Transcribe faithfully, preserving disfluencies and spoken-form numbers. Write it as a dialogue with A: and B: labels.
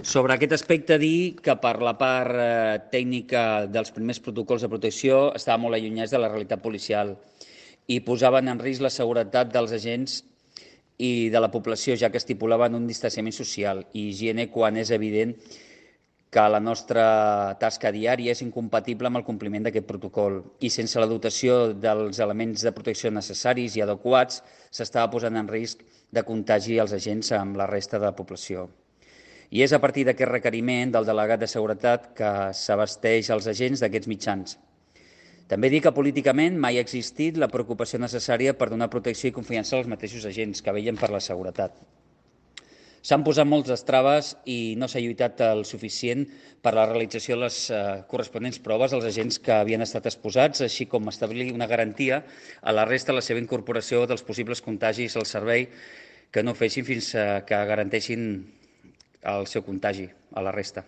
A: Sobre aquest aspecte, dir que per la part eh, tècnica dels primers protocols de protecció estava molt allunyats de la realitat policial i posaven en risc la seguretat dels agents i de la població, ja que estipulaven un distanciament social i higiene quan és evident que la nostra tasca diària és incompatible amb el compliment d'aquest protocol i sense la dotació dels elements de protecció necessaris i adequats s'estava posant en risc de contagi als agents amb la resta de la població. I és a partir d'aquest requeriment del delegat de seguretat que s'abasteix als agents d'aquests mitjans. També dir que políticament mai ha existit la preocupació necessària per donar protecció i confiança als mateixos agents que vetllen per la seguretat. S'han posat moltes traves i no s'ha lluitat el suficient per a la realització de les eh, corresponents proves als agents que havien estat exposats, així com establir una garantia a la resta de la seva incorporació dels possibles contagis al servei que no fessin fins que garanteixin el seu contagi a la resta.